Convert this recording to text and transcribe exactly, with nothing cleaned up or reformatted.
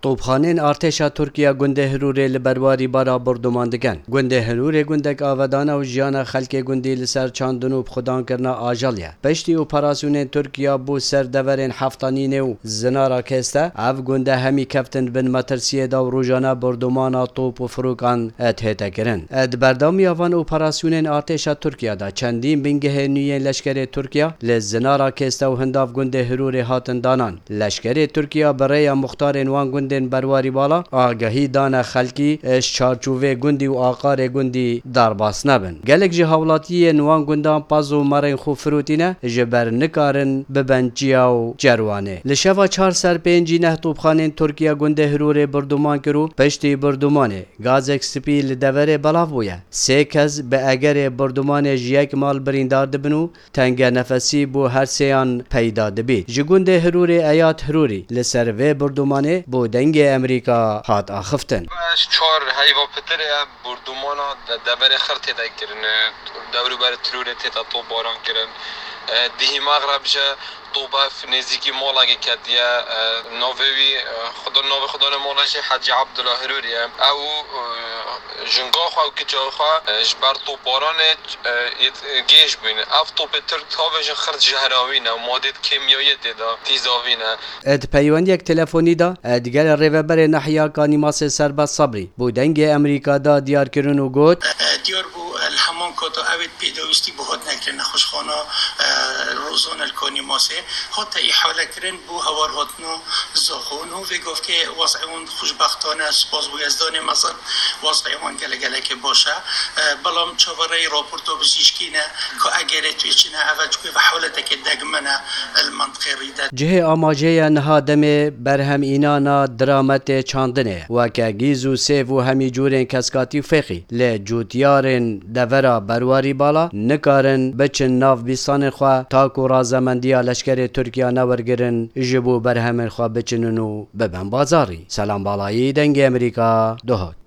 Topxanên artêşa Tirkiye gundê Hirûrê li berwarî bala borduman dikin. Gundê Hirûrê gundek avedan e û jiyana xelkê gundî li ser çandin û bixwedankirina ajal ye. Piştî operasyonên Tirkiye bo ser deverên Heftanînê û Zinara Kêste, ev gunde hemî keftin bin metirsiyê de û rojane bordumana top û firokan dihête kirin. Di berdewamiya van operasyonên artêşa Tirkiye de çendîn bingehên nû yên leşkerê Tirkiye li Zinara Kêste û Hindav gundê Hirûrê hatin danan. Leşkerê Tirkiye bi rêya muxtarên wan gundên berwarî bala agahî dane xelkî, ji çarçovê gundî û aqarê gundî derbas nebin. Gelek ji hawlatiyên wan gundan paz û merên xwe firotîne, ji ber nikarin bibin çiya û cerwanê. Li şeva çar ser pêncî neh topxanên Tirkiye gundê Hirûrê birduman kir û piştî birdumanê gazek spî li deverê belav bûye. Sê kes bi egerê birdumanê ji yek mal birîndar dibin û tengenefesî bo her sêyan peyda dibît. Ji gundê Hirûrê Eyad Hirûrî li ser vê birdumanê bo Dengê Amerîka hat axiftin. Çar heyva pitir e, bordumana de-, deverê xir tê de kirin, e, dewrûber Tirûrê tê de topbaran kirin. E, dihî mexreb ji top ev nêzîkî malekê ketiye, e, navê wî, e, Xuda, navê Xudanê mala jî Hecî Abdullah Hirûrî ye. Ew, e, jinga xwe û kiça xwe, e, ji ber topbaranê, e, yê, e, gêj bûyne. Ev topê Tirk tavê ji xir jehrawî ne û madê kîmyayê tê de tîzavî ne. Di peywendiyek telefonî de, e, digel rêveberê Nehiya Kanîmasê Serbest Sabrî bo Dengê Amerîka da diyar kirin û got, E, diyar bû, e, li heman kata ew ê pêdawîstî bi hatine kirin nexweşxana, e, Rozan el Kanîmasê hate îhale kirin bo hewar hatina zaxon û vê gavkê wez'ê wan xweşbextane, spas bo Yezdanê mezin, wez'ê wan gelek gelekê baş e. E, belam çavereyî raporta bizîşkî ne ku egerê tu çi ne, ev çikû ve hewleteke degmene li mentiqê rî de. Cihê amajê ye niha demê berhem înana dirametê çandinê, weke gîz û sêv û hemî cûrên keskatî û fêqî, lê cûtiyarên devera berwarî bala nikarin biçin nav bîstanên xwe, ta ku razemendiya leşkerê Tirkiya newergirin ji bo berhemên xwe biçinin û bibin bazarî. Selam Balayî, Dengê Amerîka, Duhok.